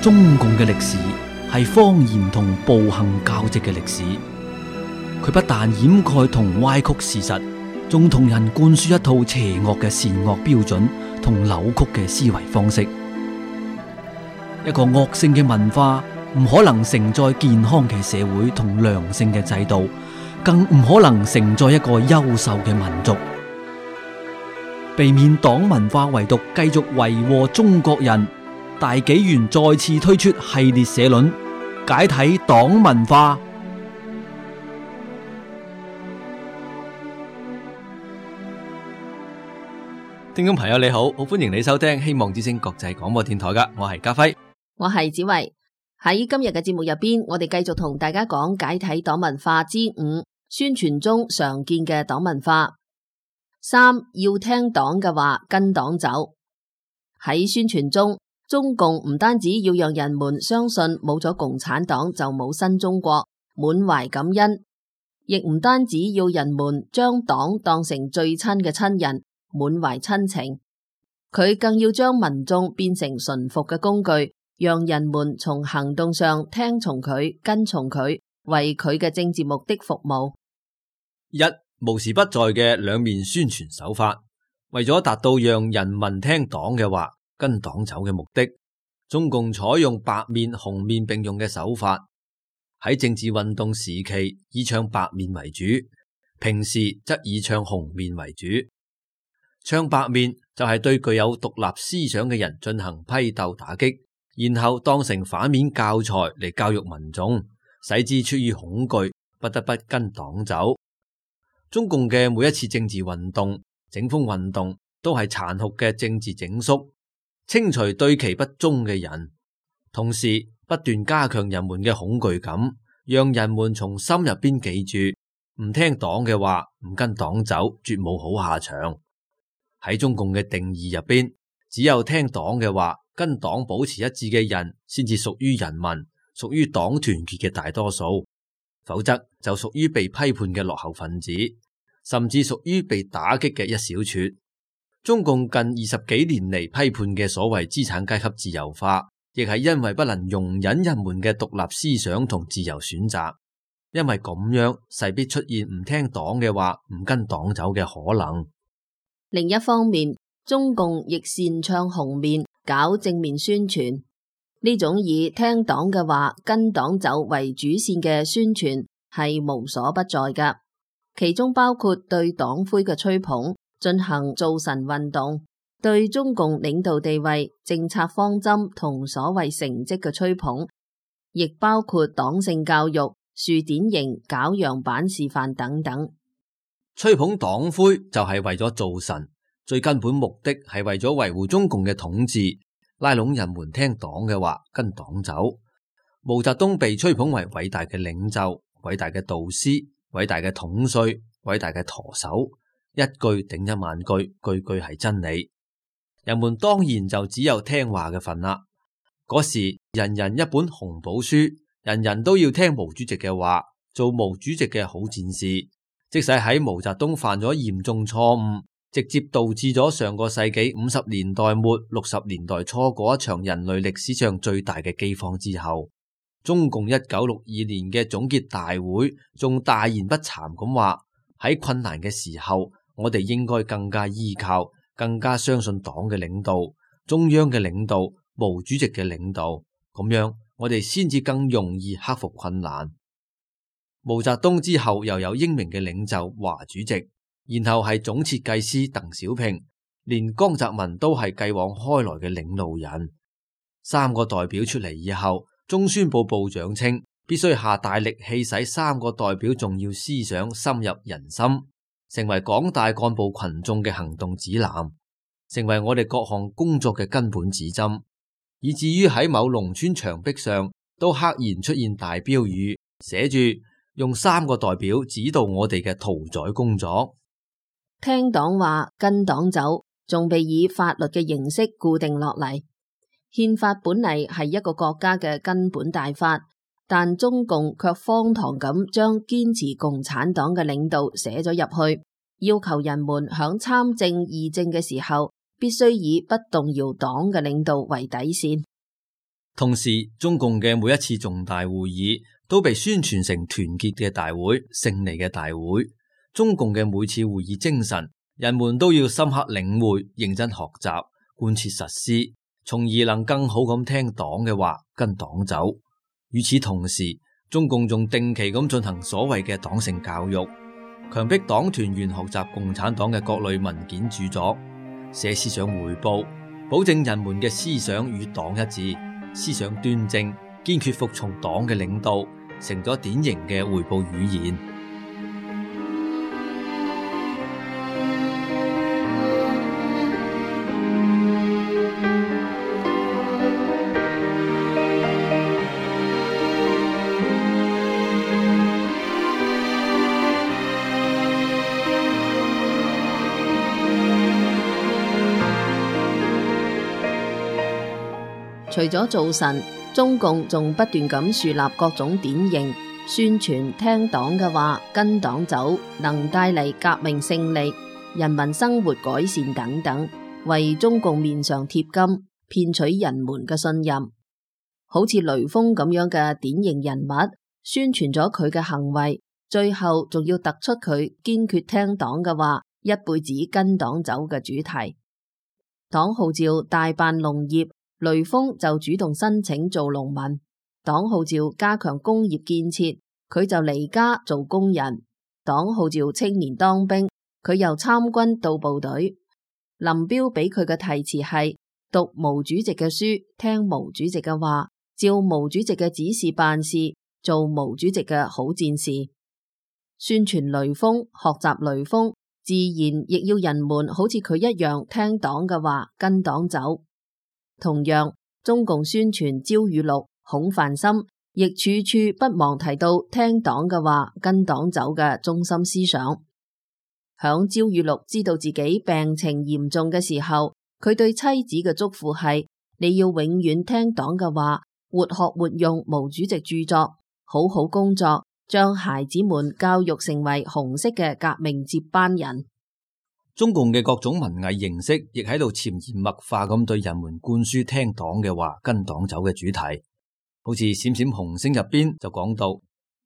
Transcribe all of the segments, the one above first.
中共嘅歷史係謊言同暴行交織嘅歷史，佢不但掩蓋同歪曲事實，仲同人灌輸一套邪惡嘅善惡標準同扭曲嘅思維方式。一個惡性嘅文化唔可能承載健康嘅社會同良性嘅制度，更唔可能承載一個優秀嘅民族。避免黨文化遺毒繼續為禍中國人，大紀元再次推出系列社論，解體黨文化。聽眾朋友你好，好歡迎你收聽希望之聲國際廣播電台噶，我係家輝，我係子維。喺今日嘅節目入邊，我哋繼續同大家講解體黨文化之5，宣傳中常見嘅黨文化。3，要聽黨嘅話，跟黨走。喺宣傳中，中共唔單止要讓人們相信冇咗共產黨就冇新中國，滿懷感恩，亦唔單止要人們將黨當成最親嘅親人，滿懷親情，佢更要將民眾變成馴服嘅工具，讓人們從行動上聽從佢，跟從佢，為佢嘅政治目的服務。無時不在嘅兩面宣傳手法，為咗達到讓人民聽黨嘅話，跟黨走嘅目的，中共採用白面紅面並用嘅手法。喺政治運動時期以唱白面為主，平時則以唱紅面為主。唱白面就係對具有獨立思想嘅人進行批鬥打擊，然後當成反面教材嚟教育民眾，使之出於恐懼，不得不跟黨走。中共嘅每一次政治運動、整風運動都係殘酷嘅政治整肅，清除對其不忠嘅人，同時不斷加強人們嘅恐懼感，讓人們從心入邊記住，唔聽黨嘅話，唔跟黨走，絕冇好下場。喺中共嘅定義入邊，只有聽黨嘅話，跟黨保持一致嘅人，先至屬於人民，屬於黨團結嘅大多數。否則就屬於被批判嘅落後分子，甚至屬於被打擊嘅一小撮。中共近20幾年嚟批判嘅所謂資產階級自由化，亦係因為不能容忍人們嘅獨立思想同自由選擇，因為咁樣勢必出現唔聽黨嘅話，唔跟黨走嘅可能。另一方面，中共亦擅唱紅面，搞正面宣傳。呢種以聽黨嘅話，跟黨走為主線嘅宣傳係無所不在㗎，其中包括對黨徽嘅吹捧，進行造神運動，對中共領導地位、政策方針同所謂成績嘅吹捧，亦包括黨性教育、樹典型、搞樣板示範等等。吹捧黨徽就係為咗造神，最根本目的係為咗維護中共嘅統治，拉攏人們聽黨嘅話，跟黨走。毛澤東被吹捧為偉大嘅領袖、偉大嘅導師、偉大嘅統帥、偉大嘅舵手，一句頂一萬句，句句係真理。人們當然就只有聽話嘅份啦。嗰時人人一本紅寶書，人人都要聽毛主席嘅話，做毛主席嘅好戰士。即使喺毛澤東犯咗嚴重錯誤，直接導致咗上個世紀50年代末60年代初嗰一場人類歷史上最大嘅饑荒之後，中共1962年嘅總結大會仲大言不慚咁話，喺困難嘅時候，我哋應該更加依靠、更加相信黨嘅領導、中央嘅領導、毛主席嘅領導，咁樣我哋先至更容易克服困難。毛澤東之後又有英明嘅領袖華主席，然後係總設計師鄧小平，連江澤民都係繼往開來嘅領路人。三個代表出嚟以後，中宣部部長稱必須下大力氣使三個代表重要思想深入人心，成為廣大幹部群眾嘅行動指南，成為我哋各項工作嘅根本指針，以至於喺某農村牆壁上都赫然出現大標語，寫住用三個代表指導我哋嘅屠宰工作。聽黨話，跟黨走，仲被以法律嘅形式固定落嚟。憲法本嚟係一個國家嘅根本大法，但中共卻荒唐咁將堅持共產黨嘅領導寫咗入去，要求人們響參政議政嘅時候，必須以不動搖黨嘅領導為底線。同時，中共嘅每一次重大會議都被宣傳成團結嘅大會、勝利嘅大會。中共嘅每次會議精神，人們都要深刻領會、認真學習、貫徹實施，從而能更好咁聽黨嘅話，跟黨走。與此同時，中共仲定期咁進行所謂嘅黨性教育，強迫黨團員學習共產黨嘅各類文件著作，寫思想匯報，保證人們嘅思想與黨一致，思想端正，堅決服從黨嘅領導，成咗典型嘅匯報語言。除咗造神，中共仲不斷咁樹立各種典型，宣傳聽黨嘅話，跟黨走，能帶嚟革命勝利、人民生活改善等等，為中共面上貼金，騙取人們嘅信任。好似雷鋒咁樣嘅典型人物，宣傳咗佢嘅行為，最後仲要突出佢堅決聽黨嘅話，一輩子跟黨走嘅主題。黨號召大辦農業，雷鋒就主動申請做農民；黨號召加強工業建設，佢就離家做工人；黨號召青年當兵，佢又參軍到部隊。林彪俾佢嘅題詞係讀毛主席嘅書，聽毛主席嘅話，照毛主席嘅指示辦事，做毛主席嘅好戰士。宣傳雷鋒，學習雷鋒，自然亦要人們好似佢一樣聽黨嘅話，跟黨走。同樣，中共宣傳焦裕祿、孔繁森，亦處處不忘提到聽黨嘅話，跟黨走嘅中心思想。響焦裕祿知道自己病情嚴重嘅時候，佢對妻子嘅囑咐係：你要永遠聽黨嘅話，活學活用毛主席著作，好好工作，將孩子們教育成為紅色嘅革命接班人。中共嘅各種文藝形式亦喺度潛移默化咁對人們灌輸聽黨嘅話，跟黨走嘅主題。好似閃閃紅星入邊就講到，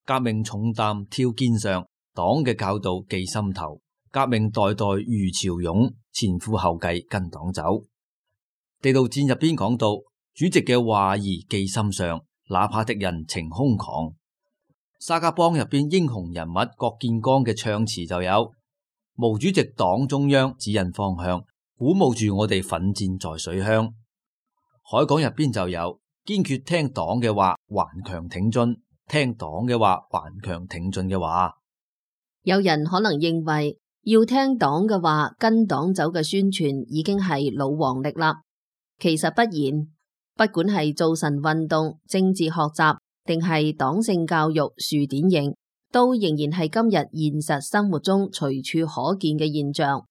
革命重擔挑肩上，黨嘅教導記心頭，革命代代如潮湧，前赴後繼跟黨走。地道戰入邊講到，主席嘅話兒記心上，哪怕敵人情空狂。沙家浜入邊英雄人物郭建剛嘅唱詞就有：毛主席黨中央指引方向，鼓舞住我哋奮戰在水鄉。海港入邊就有堅決聽黨嘅話，頑強挺進；聽黨嘅話，頑強挺進嘅話。有人可能認為要聽黨嘅話，跟黨走嘅宣傳已經係老黃歷啦。其實不然，不管係造神運動、政治學習，定係黨性教育、樹典型，都仍然係今日現實生活中隨處可見嘅現象。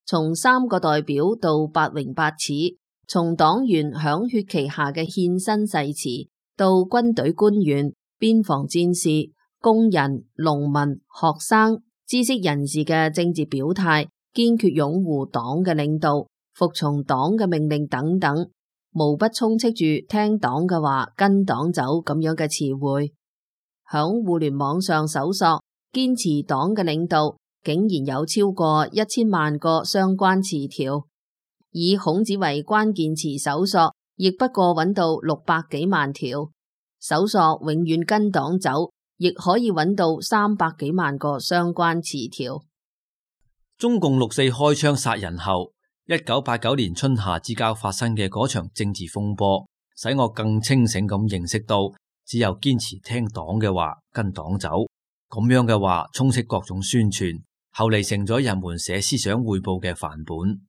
從三個代表到八榮八恥，從黨員響血旗下嘅獻身誓詞，到軍隊官員、邊防戰士、工人、農民、學生、知識人士嘅政治表態，堅決擁護黨嘅領導，服從黨嘅命令等等，無不充斥住聽黨嘅話，跟黨走咁樣嘅詞彙。響互聯網上搜索堅持黨嘅領導，竟然有超過1000萬個相關詞條。以孔子為關鍵詞搜索，亦不過揾到600幾萬條。搜索永遠跟黨走，亦可以揾到300幾萬個相關詞條。中共6四開槍殺人後，1989年春夏之交發生嘅嗰場政治風波，使我更清醒咁認識到，只有堅持聽黨嘅話，跟黨走，咁樣嘅話充斥各種宣傳，後嚟成咗人們寫思想匯報嘅範本。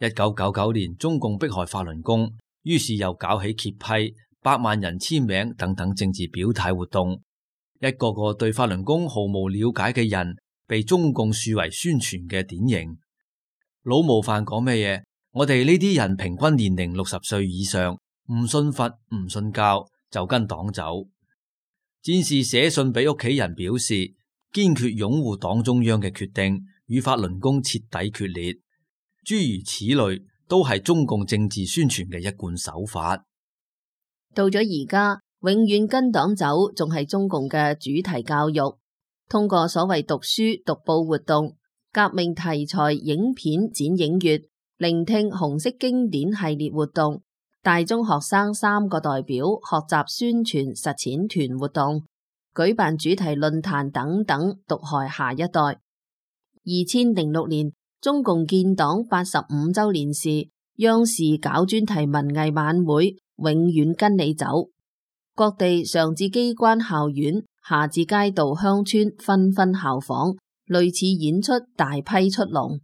1999年中共迫害法輪功，於是又搞起揭批、100萬人簽名等等政治表態活動，一個個對法輪功毫無了解嘅人，被中共樹為宣傳嘅典型。老模範講咩嘢？我哋呢啲人平均年齡60歲以上，唔信佛唔信教，就跟黨走。戰士寫信俾屋企人表示，堅決擁護黨中央嘅決定，與法輪功徹底決裂。諸如此類，都係中共政治宣傳嘅一貫手法。到咗而家，永遠跟黨走仲係中共嘅主題教育，通過所謂讀書讀報活動、革命題材影片展映月、聆聽紅色經典系列活動、大中學生3個代表學習宣傳實踐團活動、舉辦主題論壇等等，毒害下一代。2006年中共建黨85周年時，央視搞專題文藝晚會，永遠跟你走。各地上至機關校院，下至街道鄉村，紛紛效仿，類似演出大批出籠。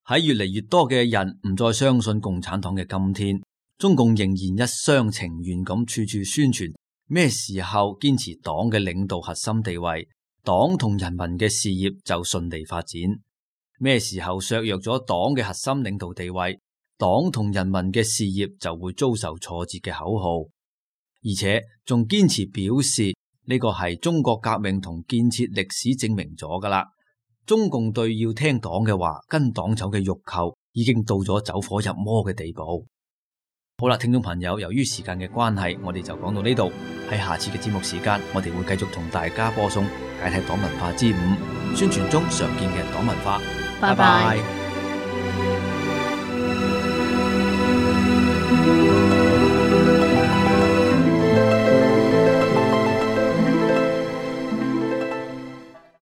喺越嚟越多嘅人唔再相信共產黨嘅今天，中共仍然一廂情願咁處處宣傳咩時候堅持黨嘅領導核心地位，黨同人民嘅事業就順利發展；咩時候削弱咗黨嘅核心領導地位，黨同人民嘅事業就會遭受挫折嘅口號。而且仲堅持表示呢個係中國革命同建設歷史證明咗噶啦。中共對要聽黨嘅話跟黨走嘅欲求已經到咗走火入魔嘅地步。好啦，聽眾朋友，由於時間嘅關係，我哋就講到呢度。喺下次嘅節目時間，我哋會繼續同大家播送解體黨文化之5，宣傳中常見嘅黨文化。拜拜。